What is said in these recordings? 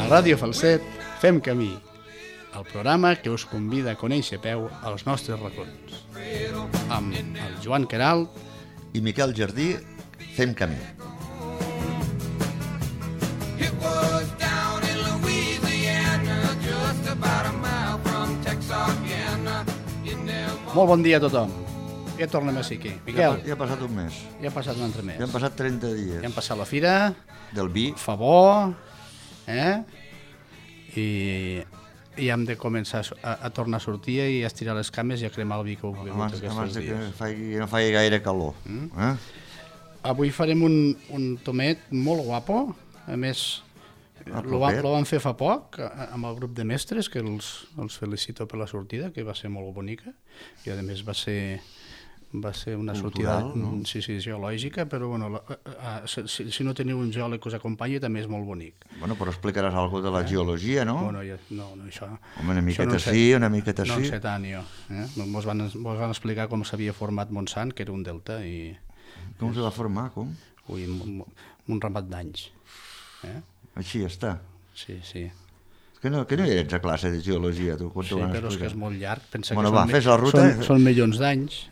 A Ràdio Falset fem camí, el programa que us convida a conèixer a peu els nostres racons. Amb el Joan Queralt i Miquel Jardí fem camí. Molt bon dia a tothom. Ja tornem a ser aquí. Miquel, Ja ha passat un mes. ja ha passat un altre mes. Ja han passat 30 dies. Ja hem passat la fira, Del vi. fa bo, i hem de començar a tornar a sortir i a estirar les cames i a cremar el vi que heu begut Abans aquests de que dies. no faci gaire calor. Avui farem un tomet molt guapo. A més, lo vam fer fa poc amb el grup de mestres, que els felicito per la sortida, que va ser molt bonica. I a més va ser una sortida sí, geològica, però bueno, si no teniu un geòleg que us acompanyi també és molt bonic. Bueno, però explicaràs alguna de la geologia, no? Bueno, no, això... Home, una miqueta sí, una miqueta No sí. en sé tant, jo. Mos van explicar com s'havia format Montsant, que era un delta, i... Com se va formar, com? Ui, un ramat d'anys. Així està. Sí. Que no hi ets a classe de geologia, tu, quan Sí, t'ho van però és que explicar? és molt llarg. Pensa Bueno, que va, fes la ruta. Són milions d'anys.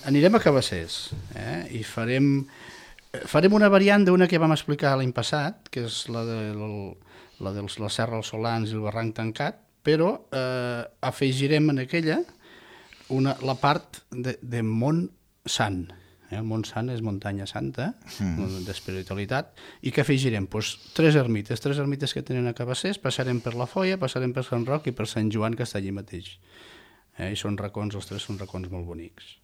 Anirem a Cabassers i farem una variant d'una que vam explicar l'any passat, que és la de la Serra dels Solans i el Barranc Tancat, però afegirem en aquella la part de Mont Sant. El Mont Sant és muntanya santa, d'espiritualitat, i que afegirem? Tres ermites que tenen a Cabassers, passarem per la Foia, passarem per Sant Roc i per Sant Joan, que està allí mateix. I són racons, els tres són racons molt bonics.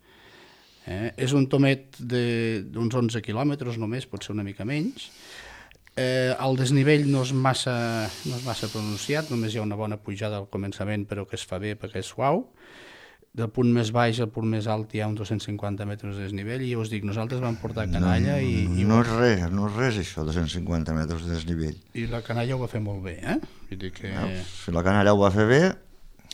És un tomet d'uns 11 quilòmetres només, pot ser una mica menys. El desnivell no és massa pronunciat, només hi ha una bona pujada al començament, però que es fa bé perquè és suau. Del punt més baix al punt més alt hi ha uns 250 metres de desnivell, i ja us dic, nosaltres vam portar canalla i... No és res això, 250 metres de desnivell. I la canalla ho va fer molt bé, Vull dir que... Si la canalla ho va fer bé...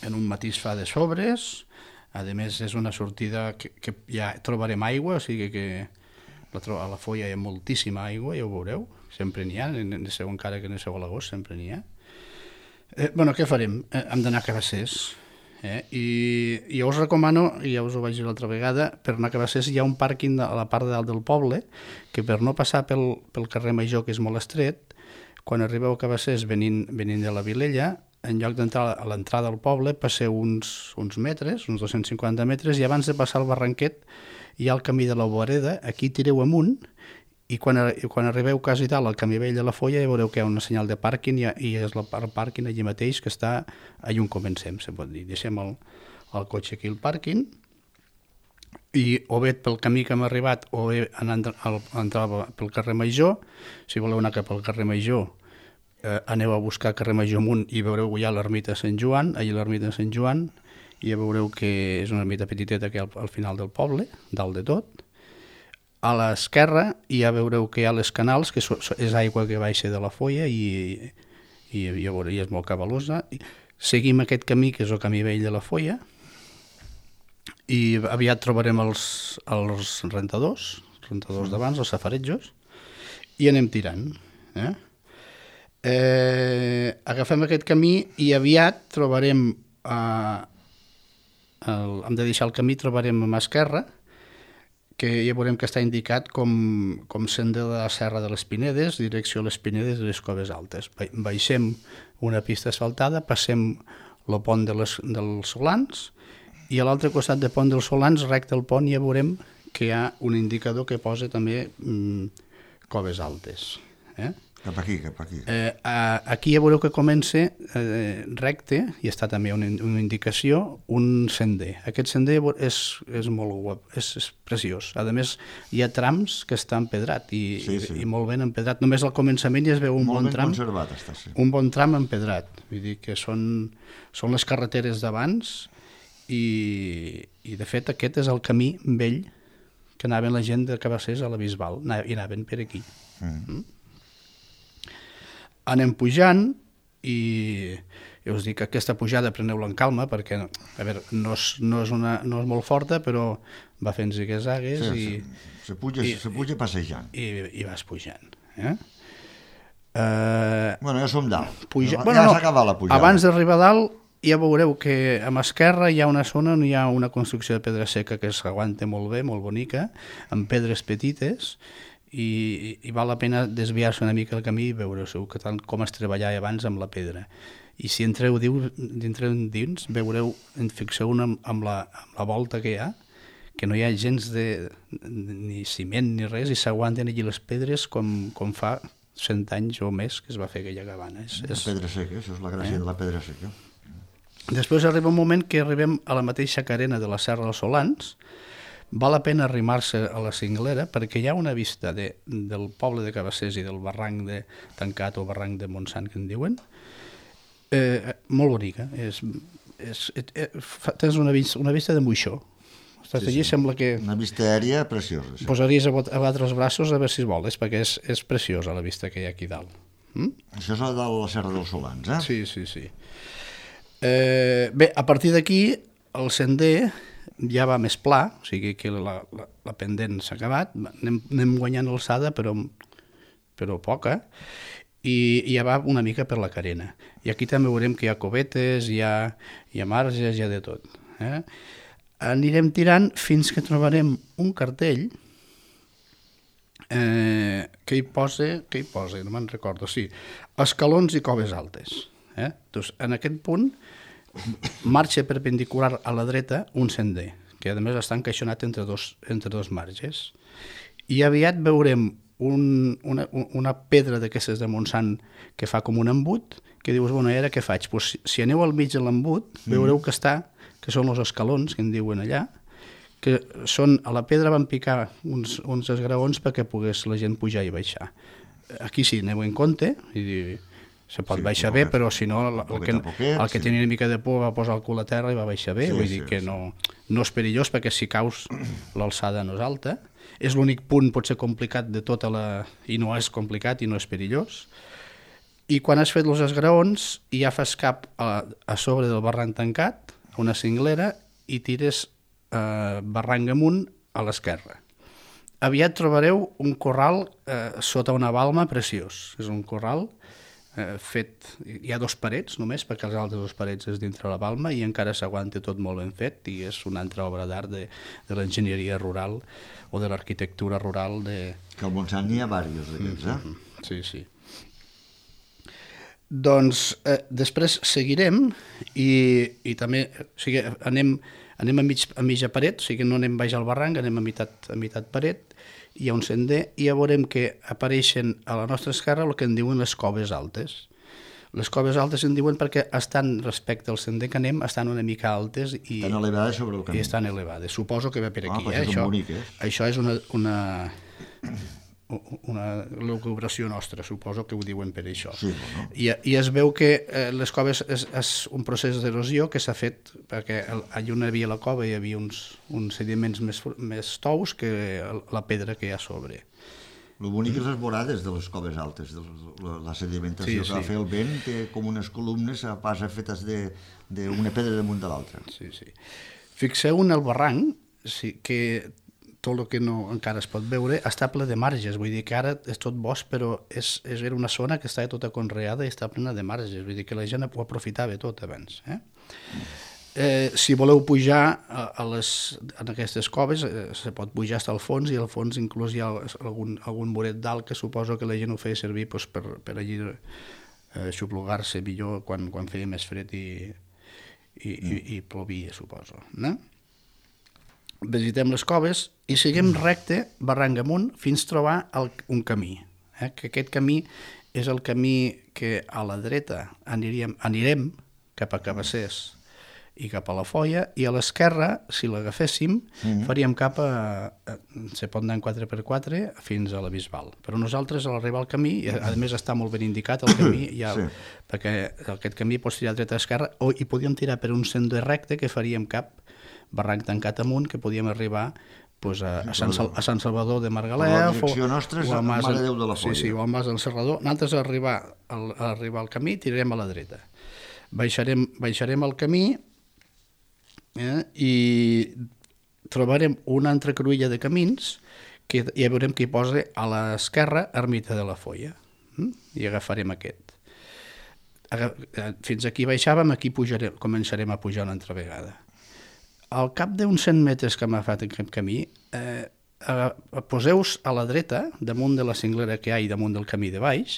En un matís fa de sobres, a més és una sortida que ja trobarem aigua, o sigui que a la Foia hi ha moltíssima aigua, ja ho veureu, sempre n'hi ha, encara que no sou a l'agost, sempre n'hi ha. Bueno, què farem? Hem d'anar a Cabassers. I jo us recomano, i ja us ho vaig dir l'altra vegada, per anar a Cabassers hi ha un pàrquing a la part de dalt del poble, que per no passar pel carrer Major, que és molt estret, quan arribeu a Cabassers venint de la Vilella, en lloc d'entrar a l'entrada del poble, passeu uns metres, uns 250 metres, i abans de passar el barranquet hi ha el camí de la Boareda, aquí tireu amunt, i quan arribeu quasi dalt al camí vell de la Foia ja veureu que hi ha una senyal de pàrquing, i és el pàrquing allí mateix, que està allà on comencem, se pot dir. Deixem el cotxe aquí al pàrquing, i o bé pel camí que hem arribat o bé entrar pel carrer Major. Si voleu anar cap al carrer Major, aneu a buscar carrer Major amunt i veureu que hi ha l'ermita de Sant Joan, allà l'ermita de Sant Joan, i ja veureu que és una ermita petiteta que hi ha al final del poble, dalt de tot. A l'esquerra ja veureu que hi ha les canals, que és aigua que baixa de la Foia i és molt cabalosa. Seguim aquest camí, que és el camí vell de la Foia, i aviat trobarem els rentadors d'abans, els safaretjos, i anem tirant. Agafem aquest camí i aviat trobarem, hem de deixar el camí, trobarem a mà esquerra, que ja veurem que està indicat com sender de la Serra de les Pinedes, direcció a les Pinedes i les Coves Altes. Baixem una pista asfaltada, passem el pont dels Solans, i a l'altre costat del pont dels Solans, recte al pont, ja veurem que hi ha un indicador que posa també Coves Altes. Cap aquí. Aquí ja veureu que comença recte, i està també una indicació, un sender. Aquest sender és molt guap, és preciós. A més, hi ha trams que està empedrat, i molt ben empedrat. Només al començament ja es veu un bon tram. Molt ben conservat està, sí. Un bon tram empedrat. Vull dir que són les carreteres d'abans, i de fet aquest és el camí vell que anaven la gent de Cabassers a la Bisbal, i anaven per aquí. Anem pujant, i ja us dic que aquesta pujada preneu-la en calma, perquè a veure, no és molt forta, però va fent zigue-zagues, se puja passejant. I vas pujant. Bueno, ja som dalt. Puja... Ja s'ha acabat la pujada. Abans d'arribar a dalt ja veureu que a l'esquerra hi ha una zona on hi ha una construcció de pedra seca que s'aguanta molt bé, molt bonica, amb pedres petites, i val la pena desviar-se una mica el camí i veure que tant com es treballava abans amb la pedra. I si entreu dins, veureu, fixeu amb la volta que hi ha, que no hi ha gens ni ciment ni res, i s'aguanten allí les pedres com fa 100 anys o més que es va fer aquella cabana. La pedra seca, això és la gràcia de la pedra seca. Després arriba un moment que arribem a la mateixa carena de la Serra dels Solans. Val la pena arrimar-se a la cinglera perquè hi ha una vista del poble de Cabassers i del barranc de Tancat o barranc de Montsant, que en diuen, molt bonica. Tens una vista de moixó. Estàs allí, sembla que... Una vista aèria preciosa. Sí. Posaries a batre els braços a veure si vols, perquè és preciosa la vista que hi ha aquí dalt. Això és a dalt de la Serra dels Solans, eh? Sí. Bé, a partir d'aquí el sender ja va més pla, o sigui que la pendent s'ha acabat, anem guanyant alçada però poca, i ja va una mica per la carena. I aquí també veurem que hi ha covetes, hi ha marges, hi ha de tot. Anirem tirant fins que trobarem un cartell que hi posa, no me'n recordo, sí, escalons i coves altes. Doncs en aquest punt marxa perpendicular a la dreta un sender, que a més està encaixonat entre dos marges. I aviat veurem una pedra d'aquestes de Montsant que fa com un embut, que dius, bueno, ara què faig? Pues, si aneu al mig de l'embut, veureu que són els escalons, que en diuen allà, que són, a la pedra van picar uns esgraons perquè pogués la gent pujar i baixar. Aquí sí, aneu en compte, i se pot baixar bé, però si no, el que tenia una mica de por va posar el cul a terra i va baixar bé, vull dir que no és perillós, perquè si caus l'alçada no és alta. És l'únic punt potser complicat de tota i no és complicat i no és perillós. I quan has fet els esgraons ja fas cap a sobre del barranc Tancat, a una cinglera, i tires barranc amunt a l'esquerra. Aviat trobareu un corral sota una balma preciós. És un corral fet, hi ha 2 parets només, perquè els altres 2 parets és dintre la balma i encara s'aguanta tot molt ben fet, i és una altra obra d'art de l'enginyeria rural o de l'arquitectura rural que al Montsant n'hi ha diversos d'aquests, Sí. Doncs després seguirem i també, o sigui, anem a mitja paret, o sigui, no anem baix al barranc, anem a meitat paret, hi ha un sender, i ja veurem que apareixen a la nostra esquerra el que en diuen les coves altes. Les coves altes en diuen perquè estan, respecte al sender que anem, estan una mica altes i estan elevades sobre el camí. I estan elevades. Suposo que ve per aquí. Això és bonic, Això és una lucubració nostra, suposo que ho diuen per això. Sí, bueno. I es veu que les coves és un procés d'erosió que s'ha fet perquè allà on hi havia la cova hi havia uns sediments més tous que la pedra que hi ha a sobre. El bonic és les vorades de les coves altes, la sedimentació que va fer el vent, que com unes columnes pas fetes d'una pedra damunt de l'altra. Sí. Fixeu en el barranc, que tot el que encara es pot veure està ple de marges, vull dir que ara és tot bosc, però era una zona que estava tota conreada i està plena de marges, vull dir que la gent ho aprofitava tot abans. Si voleu pujar en aquestes coves, se pot pujar fins al fons, i al fons inclús hi ha algun muret dalt que suposo que la gent ho feia servir per allí xuplugar-se millor quan feia més fred i plovia, suposo. Visitem les coves i seguim recte, barranc amunt, fins a trobar un camí. Que aquest camí és el camí que a la dreta anirem cap a Cabassers i cap a la Foia, i a l'esquerra, si l'agaféssim, faríem cap se pot anar en 4x4 fins a la Bisbal. Però nosaltres, a l'arribar al camí, a més està molt ben indicat el camí, perquè aquest camí pots tirar dreta a esquerra, i podíem tirar per un sender recte que faríem cap barranc Tancat amunt, que podíem arribar a Sant Salvador de Margalef, la direcció nostra és a Mare Déu de la Foia. Sí, o al Mas del Serrador. Nosaltres a arribar al camí tirarem a la dreta. Baixarem el camí i trobarem una altra cruïlla de camins que ja veurem que hi posa a l'esquerra Ermita de la Foia. i agafarem aquest. Fins aquí baixàvem, aquí començarem a pujar una altra vegada. Al cap d'uns 100 metres que m'ha fet aquest camí, poseu-vos a la dreta, damunt de la cinglera que hi ha i damunt del camí de baix,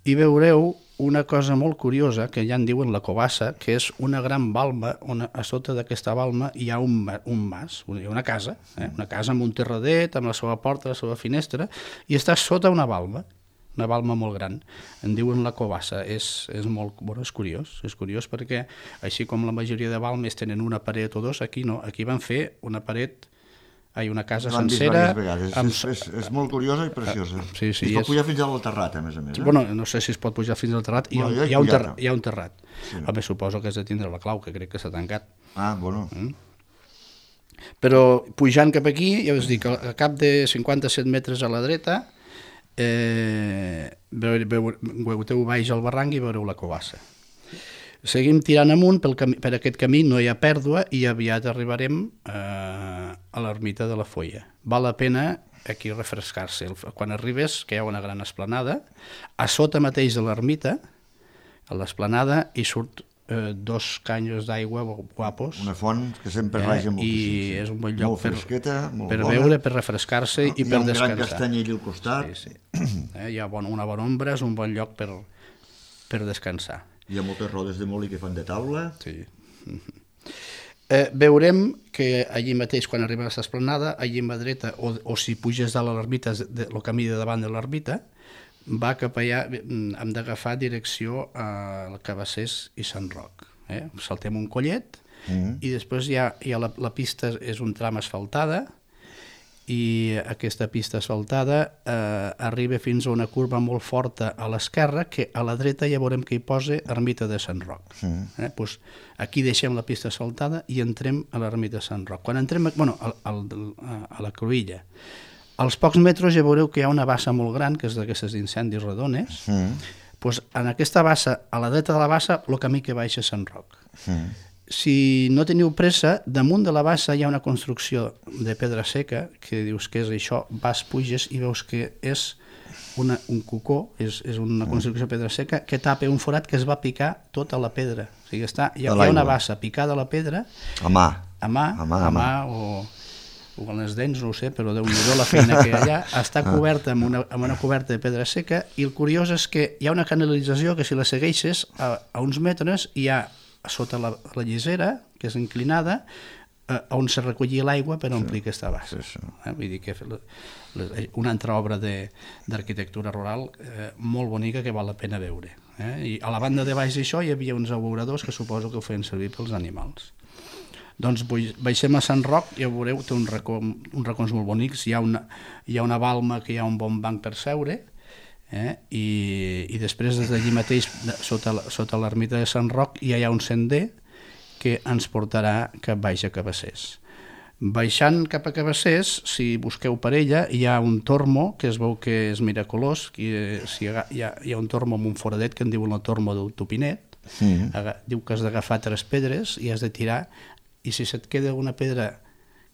i veureu una cosa molt curiosa, que ja en diuen la covassa, que és una gran balma, on a sota d'aquesta balma hi ha un mas, hi ha una casa amb un terradet, amb la seva porta, la seva finestra, i està sota una balma molt gran. En diuen la covassa. És molt, bueno, és curiós perquè així com la majoria de balmes tenen una paret o dos, aquí no, aquí van fer una casa sencera. És molt curiosa i preciosa. Sí, es pot pujar fins al terrat, a més a més. Bueno, no sé si es pot pujar fins al terrat. Hi ha un terrat. Home, suposo que has de tindre la clau, que crec que s'ha tancat. Ah, bueno. Però pujant cap aquí, ja us dic, a cap de 57 metres a la dreta, veureu baix al barranc i veureu la covassa. Seguim tirant amunt, per aquest camí no hi ha pèrdua i aviat arribarem a l'ermita de la Foia. Val la pena aquí refrescar-se. Quan arribes, que hi ha una gran esplanada, a sota mateix de l'ermita, a l'esplanada, hi surt 2 canyos d'aigua guapos. Una font que sempre raja moltíssim. I és un bon lloc per bona, beure, per refrescar-se i per descansar. Hi ha un gran castanyell al costat. Sí. Hi ha una bona ombra, és un bon lloc per descansar. Hi ha moltes rodes de molí que fan de taula. Sí. Veurem que allí mateix, quan arribem a l'esplanada, allí a la dreta, o si puges dalt a l'ermita, el camí de davant de l'ermita, va cap allà, hem d'agafar direcció al Cabassers i Sant Roc. Saltem un collet i després hi ha la pista, és un tram asfaltada, i aquesta pista asfaltada arriba fins a una curva molt forta a l'esquerra, que a la dreta ja veurem que hi posa ermita de Sant Roc. Pues aquí deixem la pista asfaltada i entrem a l'ermita de Sant Roc. Quan entrem a la cruïlla, als pocs metres ja veureu que hi ha una bassa molt gran, que és d'aquestes d'incendis redones. Pues en aquesta bassa, a la dreta de la bassa, el camí que baixa a Sant Roc. Si no teniu pressa, damunt de la bassa hi ha una construcció de pedra seca, que dius que és això, puges i veus que és un cocó, és una construcció de pedra seca que tapa un forat que es va picar tota la pedra. O sigui, hi ha una bassa picada a la pedra a mà o amb les dents, no ho sé, però Déu-n'hi-do la feina que hi ha allà. Està coberta amb una coberta de pedra seca, i el curiós és que hi ha una canalització que si la segueixes a uns metres hi ha sota la llisera, que és inclinada, on se recollia l'aigua per omplir aquesta bassa. Vull dir que una altra obra d'arquitectura rural molt bonica que val la pena veure. I a la banda de baix d'això hi havia uns abeuradors que suposo que ho feien servir pels animals. Doncs baixem a Sant Roc, ja veureu, té uns racons molt bonics, hi ha una balma que hi ha un bon banc per seure, i després des d'allí mateix, sota l'ermita de Sant Roc, hi ha un sender que ens portarà cap baix a Cabassers. Baixant cap a Cabassers, si busqueu per ella, hi ha un tormo que es veu que és miraculós, hi ha un tormo amb un foradet que en diuen el tormo del Topinet. Diu que has d'agafar 3 pedres i has de tirar, i si se't queda alguna pedra,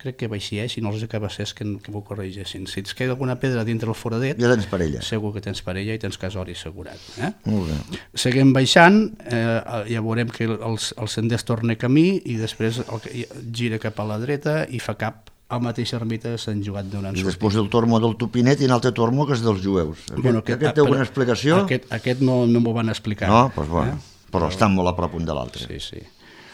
crec que va així, si no els de Cabassers que m'ho corregeixin, si et queda alguna pedra dintre el foradet, ja tens parella. Segur que tens parella i tens casori assegurat. Molt bé. Seguim baixant, ja veurem que el sender es torna camí i després gira cap a la dreta i fa cap a la mateixa ermita de Sant Joan d'Orançó. I després el tormo del Topinet i un altre tormo que és dels jueus. Aquest té alguna explicació? Aquest no m'ho van explicar. No? Doncs bueno, però estan molt a prop un de l'altre. Sí.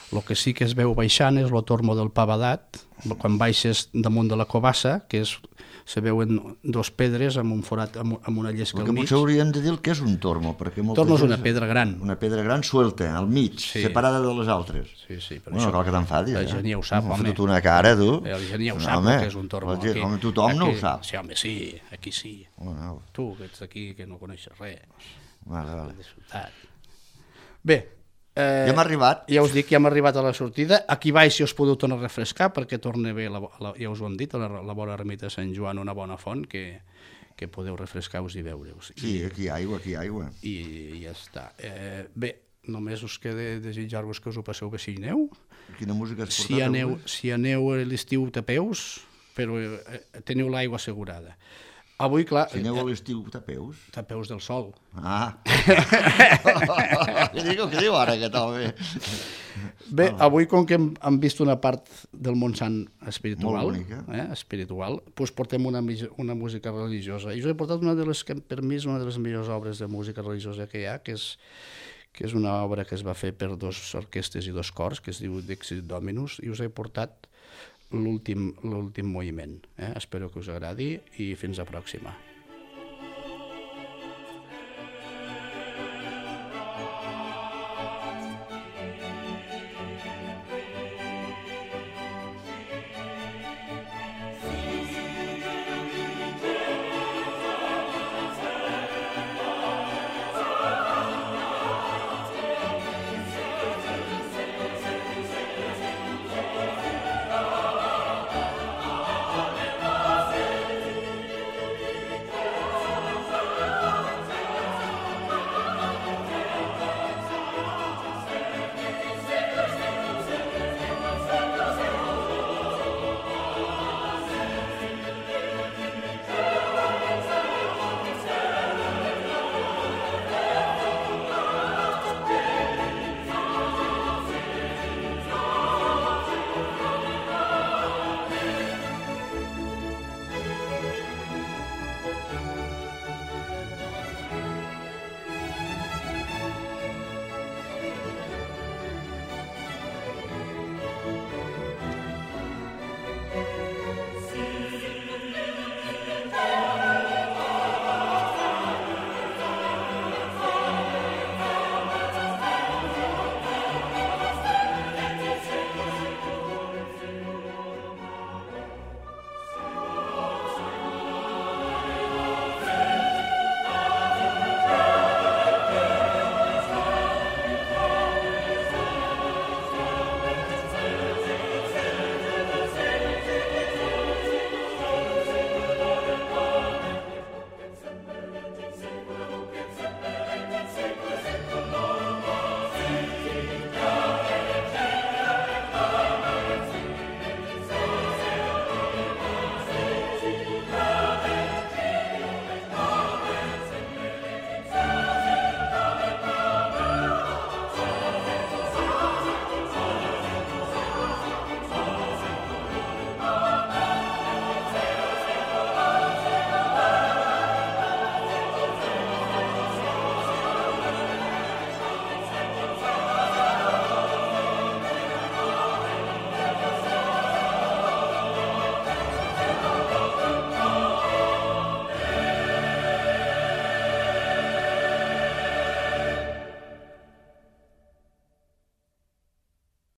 El que sí que es veu baixant és el tormo del Pavadat, quan baixes damunt de la covassa, que se veuen 2 pedres amb un forat, amb una llesca al mig. Potser hauríem de dir que és un tormo, perquè tormo és una pedra gran. Una pedra gran suelta, al mig, separada de les altres. Sí, però no cal que t'enfadis. La gent ja ho sap, home. M'ha fotut una cara, tu. La gent ja ho sap, que és un tormo. Tothom no ho sap. Sí, home, sí, aquí sí. Tu, que ets aquí, que no coneixes res. Vale. Bé, ja hem arribat. Ja us dic que ja hem arribat a la sortida. Aquí baix si us podeu tornar a refrescar perquè torna bé, ja us ho hem dit, a la vora ermita de Sant Joan, una bona font que podeu refrescar-vos i veure-us. Sí, aquí hi ha aigua. I ja està. Bé, només us queda desitjar-vos que us ho passeu bé si hi aneu. Quina música has portat? Si aneu a l'estiu tapeu-vos, però teniu l'aigua assegurada. Avui, clar... Si aneu a l'estiu, tapeus. Tapeus del sol. Ah! Què diu ara aquest home? Bé, avui, com que hem vist una part del Montsant espiritual, molt bonica, espiritual, doncs portem una música religiosa. I us he portat una de les que, per mi, és una de les millors obres de música religiosa que hi ha, que és una obra que es va fer per 2 orquestes i 2 cors, que es diu Dixit Dominus, i us he portat l'últim moviment. Espero que us agradi i fins a pròxima.